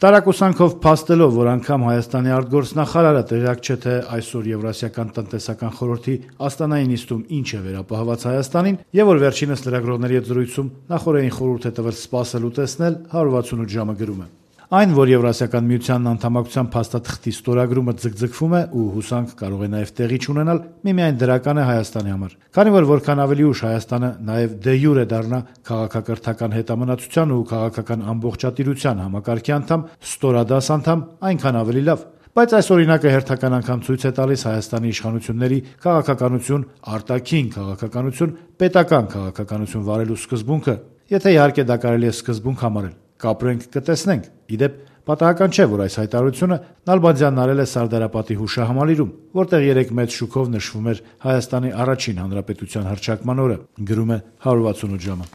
Տարակուսանքով փաստելով, որ անգամ Հայաստանի արտգործնախարարը տեղյակ չէ, թե այսօր Եվրասիական տնտեսական խորհրդի Աստանայի նիստում ինչ է վերապահված Հայաստանին, եւ որ վերջինս լրագրողների հետ զրույցում նախորդային խորհուրդ է տվել սպասել ու տեսնել, 168 ժամը գրում է. Այն, որ Եվրասիական միությանն անդամակցության փաստաթղթի ստորագրումը ձգձգվում է ու հուսանք կարող է նաև տեղի չունենալ, միմիայն դրական է Հայաստանի համար։ Քանի որ որքան ավելի ուշ Հայաստանը նաև դե յուրե դառնա քաղաքակրթական հետամնացության ու քաղաքական ամբողջատիրության համակարգի անդամ, ստորադաս անդամ, այնքան ավելի լավ։ Բայց այս օրինակը հերթական անգամ ցույց է տալիս Հայաստանի իշխանությունների քաղաքականություն, արտաքին քաղաքականություն, պետական քաղաքականություն վարելու սկզբունքը, եթե իհարկե դա կարելի է սկզբունք համարել։ Կապրենք, կտեսնենք։ Իդեպ, պատահական չէ, որ այս հայտարարությունը Նալբանդյանն արել է Սարդարապատի հուշահամալիրում, որտեղ 3 մեծ շուքով նշվում էր Հայաստանի առաջին հանրապետության հռչակման օրը, գրում է 168 ժամը։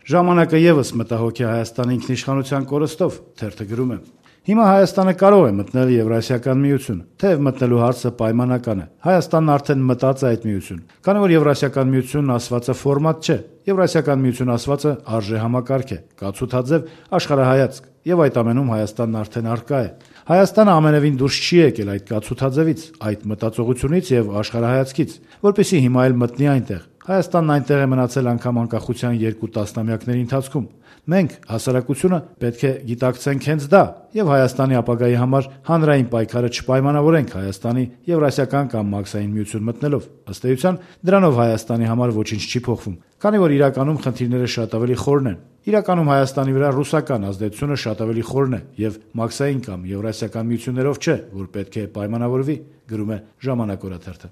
Ժամանակը եւս մտահոգ է Հայաստանի ինքնիշխանության կորստով, թերթը գրում է. Հիմա Հայաստանը կարող է մտնել Եվրասիական միություն, թեև մտնելու հարցը պայմանական է։ Հայաստանն արդեն մտած է այդ միություն, քանի որ Եվրասիական միությունն ասվածը ֆորմատ չէ։ Եվրասիական միություն ասվածը արժե համակարգ է, կացութաձև աշխարհայացք, եւ այդ ամենում Հայաստանն արդեն առկա է։ Հայաստանը ամենևին դուրս չի եկել այդ կացութաձևից, այդ մտածողությունից եւ աշխարհայացքից, որպեսզի հիմա էլ մտնի այնտեղ։ Հայաստանն այնտեղ է մնացել անգամ անկախության 2 տասնամյակների ընթացքում։ Մենք, հասարակությունը, պետք է գիտակցենք հենց դա եւ Հայաստանի ապագայի համար հանրային պայքարը չպայմանավորենք Հայաստանի Եվրասիական կամ Մաքսային միություն մտնելով։ Ըստ էության, դրանով Հայաստանի համար ոչինչ չի փոխվում, քանի որ իրականում խնդիրները շատ ավելի խորն են։ Իրականում Հայաստանի վրա ռուսական ազդեցությունը շատ ավելի խորն է եւ Մաքսային կամ Եվրասիական միություններով չէ, որ պետք է պայմանավորվի, գրում է Ժամանակ օրաթերթը։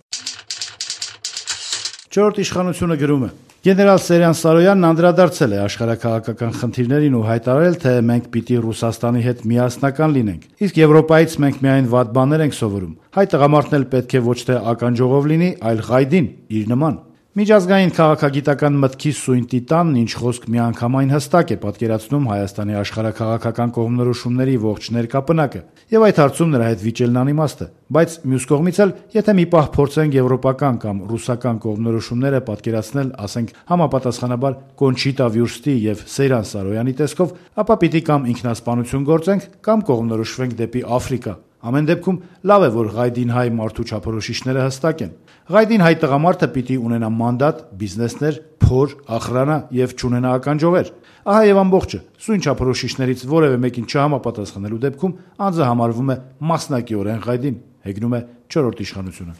Չորրորդ իշխանությունը գրում է. Գեներալ Սերյան Սարոյանն անդրադարձել է աշխարհաքաղաքական խնդիրներին ու հայտարարել, թե մենք պիտի Ռուսաստանի հետ միասնական լինենք, իսկ Եվրոպայից մենք միայն վատ բաներ ենք սովորում։ Հայ տղամարդն էլ պետք է ոչ թե ականջողով լինի, այլ ղայդին, իր նման։ Միջազգային քաղաքագիտական մտքի սույն տիտանն ինչ խոսք միանգամայն հստակ է պատկերացնում Հայաստանի աշխարհաքաղաքական կողմնորոշումների ողջ ներկապնակը, եւ այդ հարցում նրա հետ վիճելն անիմաստ է, բայց մյուս կողմից էլ, եթե մի պահ փորձենք եվրոպական կամ ռուսական կողմնորոշումները պատկերացնել, ասենք, համապատասխանաբար Կոնչիտա Վյուրստի եւ Սեյրան Սարոյանի տեսքով, ապա պիտի կամ ինքնասպանություն գործենք, կամ կողմնորոշվենք դեպի Աֆրիկա։ Ամեն դեպքում լավ է, որ ղայդին հայ մարդու չափորոշիչները հստակ են։ Ղայդին հայ տղամարդը պիտի ունենա մանդատ, բիզնեսներ, փոր, ախրանա եւ չունենա ականջողեր։ Ահա եւ ամբողջը։ Սույն չափորոշիչներից որևէ մեկին չհամապատասխանելու դեպքում անձը համարվում է մասնակիորեն ղայդին, հեգնում է 4-րդ իշխանությունը։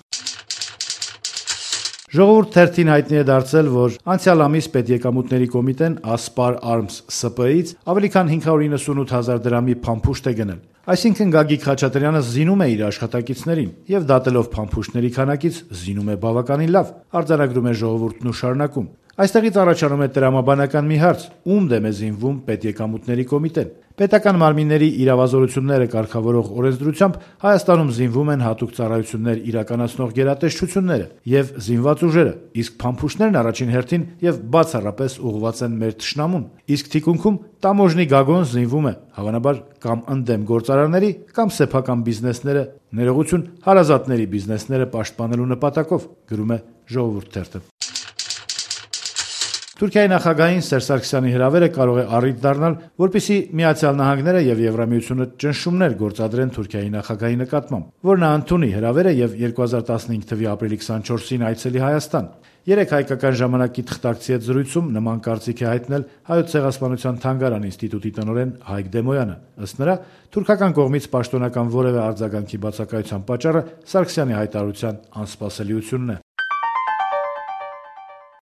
Ժողովուրդ թերթին հայտնի է դարձել, որ անցյալ ամիս Պետեկամուտների կոմիտեն Aspar Arms ՍՊ-ից ավելի քան 598,000 դրամի փամփուշտ է գնել։ Այսինքն Գագիկ Խաչատրյանը զինում է իր աշխատակիցներին եւ դատելով փամփուշտների քանակից զինում է բավականին լավ, արձանագրում է Ժողովուրդն ու շարունակում։ Այստեղից առաջանում է տրամաբանական մի հարց. ում դեմ է զինվում Պետեկամուտների կոմիտեն։ Պետական մարմինների իրավազորությունները կարգավորող օրենսդրությամբ Հայաստանում զինվում են հատուկ ծառայություններ իրականացնող գերատեսչությունները եւ զինված ուժերը, իսկ փամփուշտներն առաջին հերթին եւ բացառապես ուղղված են մեր թշնամուն։ Իսկ թիկունքում տամոժնի Գագոն զինվում է, հավանաբար կամ ընդդեմ գործարանների, կամ սեփական բիզնեսները, ներողություն, հարազատների բիզնեսները պաշտպանելու նպատակով, գրում է Ժողովուրդ թերթը։ Թուրքիայի նախագահին Սերժ Սարգսյանի հրավերը կարող է առիթ դառնալ, որպեսզի Միացյալ Նահանգները եւ Եվրամիությունը ճնշումներ գործադրեն Թուրքիայի նախագահի նկատմամբ, որ նա ընդունի հրավերը եւ 2015 թվականի ապրիլի 24-ին այցելի Հայաստան։ Երեք հայկական ժամանակի թղթակցի հետ զրույցում նման կարծիք է հայտնել Հայոց ցեղասպանության թանգարան ինստիտուտի տնօրեն Հայկ Դեմոյանը։ Ըստ նրա, թուրքական կողմից պաշտոնական որևէ արձագանքի բացակայության պատճառը Սարգսյանի հայտարարության անսպասելիությունն է։